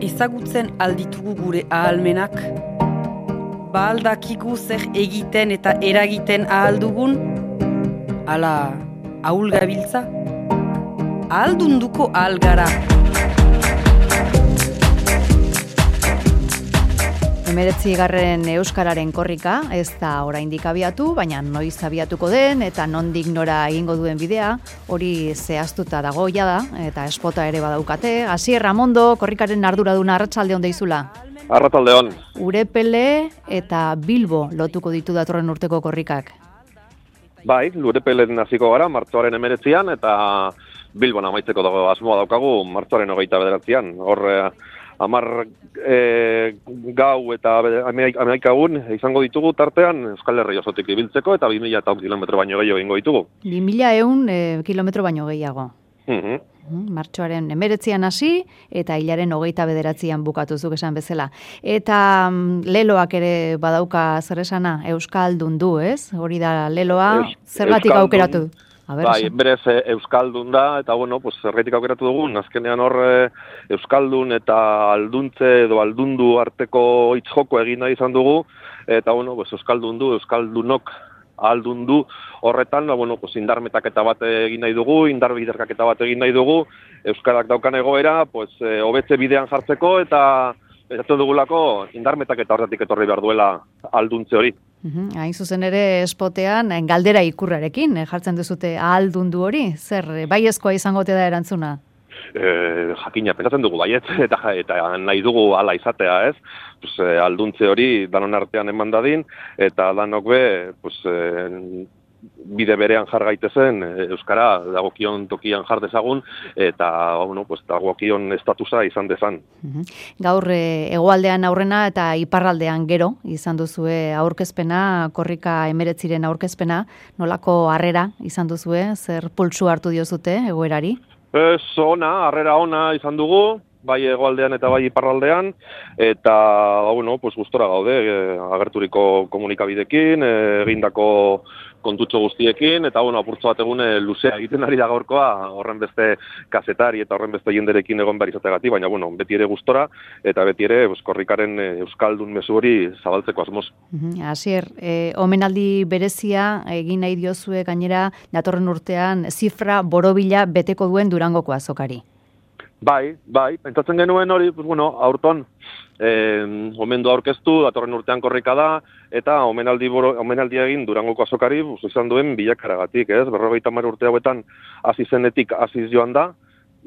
Ezagutzen alditugu gure ahalmenak? Ba aldakigu zer egiten eta eragiten ahaldugun? Ala, ahul gabiltza? Ahaldunduko algara. Hemeretzigarren euskararen korrika, ez da oraindik abiatu, baina noiz abiatuko den eta nondik nora egingo duen bidea, hori zehaztuta dago jada, eta espota ere badaukate. Asier Ramondo, korrikaren arduraduna, arratsaldeon deizula. Arratsaldeon. Urepele eta Bilbo lotuko ditu datorren urteko korrikak. Bai, Urepelen hasiko gara, martxoaren 19an, eta Bilbon amaitzeko dago asmoa daukagu, martxoaren 29an. Hor, 10 gau eta 11 egun izango ditugu tartean Euskal Herri osotik ibiltzeko eta 2000 kilometro baino gehiago egingo ditugu. 2100 kilometro baino gehiago. Martxoaren 19an hasi eta hilaren 29an bukatu zuk esan bezala. Eta leloak ere badauka zer esana, Euskaldun du, ez? Hori da leloa, zergatik aukeratu? Bai, berez Euskaldun da, eta bueno, pues zergaitik aukeratu dugun, azkenean hor Euskaldun eta alduntze edo aldundu arteko hitz-joko egin nahi izan dugu, eta bueno, pues Euskaldun du, Euskaldunok aldundu horretan, bueno, pues indarmetaketa bat egin nahi dugu, indarbiderkaketa bat egin nahi dugu, Euskarak daukan egoera, pues hobetze bidean jartzeko, eta ezatu dugulako indarmetaketa horretik etorri behar duela alduntze hori. Hain zuzen ere espotean, galdera ikurrarekin, jartzen duzute ahaldundu hori, zer, baiezkoa izango te da erantzuna? Jakina, pentsatzen dugu baiet, eta nahi dugu hala izatea, ez? Pues, alduntze hori danon artean eman dadin, eta danok be, pues, bide berean jar gaitezen, Euskara dagokion tokian jar dezagun, eta bueno, pues, dagokion estatusa izan dezan. Gaur hegoaldean aurrena eta iparraldean gero izan duzue aurkezpena, korrika 19 aurkezpena, nolako harrera izan duzue, zer pultsu hartu diozute egoerari? Harrera ona izan dugu, bai hegoaldean eta bai iparraldean, eta bueno, pues gustora gaude, agerturiko komunikabidekin, egindako kontutxo guztiekin, eta bueno, apurtzo bat egune luzea egiten ari da gaurkoa, horren beste kazetari eta horren beste jenderekin egon behar izateagatik, baina bueno, beti ere gustora, eta beti ere korrikaren euskaldun mezu hori zabaltzeko asmoz. Asier, omenaldi berezia egin nahi diozue gainera datorren urtean zifra borobila beteko duen Durangoko azokari. Bai, pentsatzen genuen hori, pues bueno, aurton omendu aurkeztu, datorren urtean korrika da, eta omenaldi egin Durangoko azokari izan duen bilakaragatik, ez? 50 urte hauetan hasi zenetik hasiz joan da,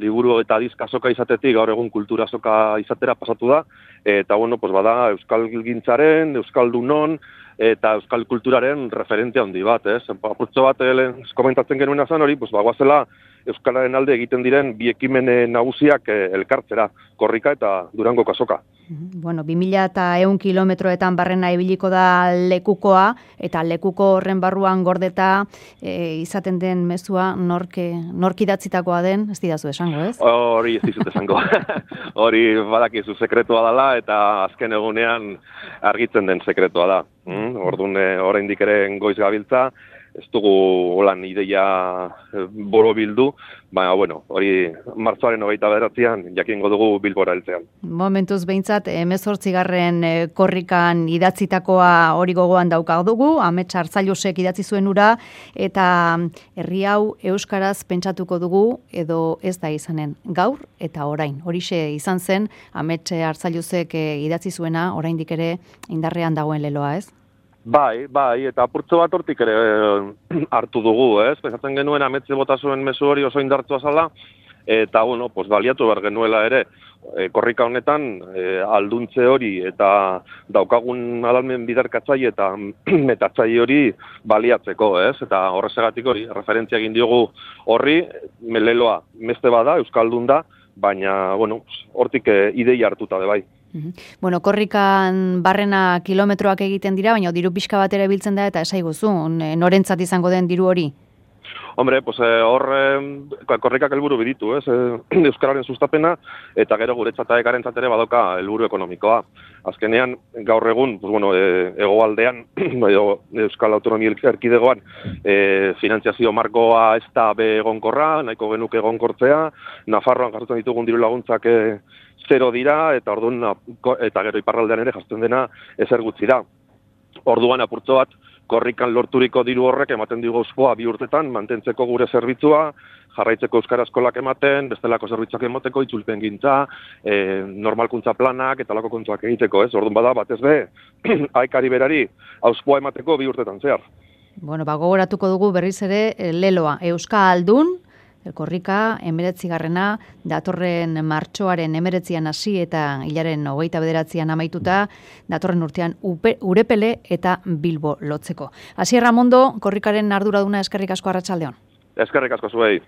liburu eta disk azoka izatetik gaur egun kultura azoka izatera pasatu da, eta bueno, pues bada euskalgintzaren, euskaldunon, eta euskal kulturaren referente handi bat, ez? Apurtzo bat komentatzen genuena zen hori, pues bagoazela euskalaren alde egiten diren bi ekimen nagusiak elkartzera, korrika eta Durangoko azoka. Bueno, 2100 kilometroetan barrena ibiliko da lekukoa, eta lekuko horren barruan gordeta izaten den mezua nork idatzitakoa den, ez didazu esango, ez? Hori ez dizut esango. Hori badakizu sekretua dela, eta azken egunean argitzen den sekretua da. Orduan oraindik ere goiz gabiltza, ez dugu holan ideia borobildu, baina, bueno, hori martxoaren 29an jakingo dugu Bilbora heltzean. Momentuz behintzat, 18. Korrikan idatzitakoa hori gogoan daukadugu, Amets Arzailusek idatzi zuen ura, eta herri hau euskaraz pentsatuko dugu, edo ez da izanen, gaur eta orain. Horixe izan zen, Amets Arzailusek idatzi zuena, oraindik ere indarrean dagoen leloa, ez? Bai, eta apurtzo bat hortik ere hartu dugu, ez? Pensatzen genuen ametze bota zuen mezu hori oso indartua zala, eta, bueno, pues baliatu behar genuela ere, korrika honetan alduntze hori eta daukagun adalmen biderkatzaile eta metatzaile hori baliatzeko, ez? Eta horrezegatik hori, referentzia egin diogu horri, leloa meste bada, euskaldun da, baina, bueno, hortik ideia hartuta bai. Bueno, korrikan barrena kilometroak egiten dira, baina diru pixka bat ere biltzen da, eta esaiguzu, norentzat izango den diru hori? Hombre, pues hor korrikak helburu biditu, ez? Euskararen sustapena, eta gero guretzat eta ekarentzat ere badoka helburu ekonomikoa. Azkenean, gaur egun, pues bueno, hegoaldean, Euskal Autonomia Erkidegoan, finantziazio markoa ez da be egonkorra, nahiko genuke egonkortzea, Nafarroan jasotzen ditugun diru laguntzak 0 dira, eta orduan, eta gero iparraldean ere jazten dena ezer gutxi da. Orduan apurtzo bat, korrikan lorturiko diru horrek ematen digu Auspoa 2 urtetan, mantentzeko gure zerbitzua, jarraitzeko euskara eskolak ematen, bestelako zerbitzuak emateko, itzulpen gintza, normalkuntza planak, eta lako kontuak egiteko, ez? Orduan bada, batez be, haikari berari, Auspoa emateko 2 urtetan zehar. Bueno, gogoratuko dugu berriz ere leloa, Euskaldun, korrika 19. datorren martxoaren 19an hasi eta hilaren 29an amaituta, datorren urtean Urepele eta Bilbo lotzeko. Asier Ramondo, korrikaren arduraduna, eskerrik asko, arratsaldeon. Eskerrik asko zuei.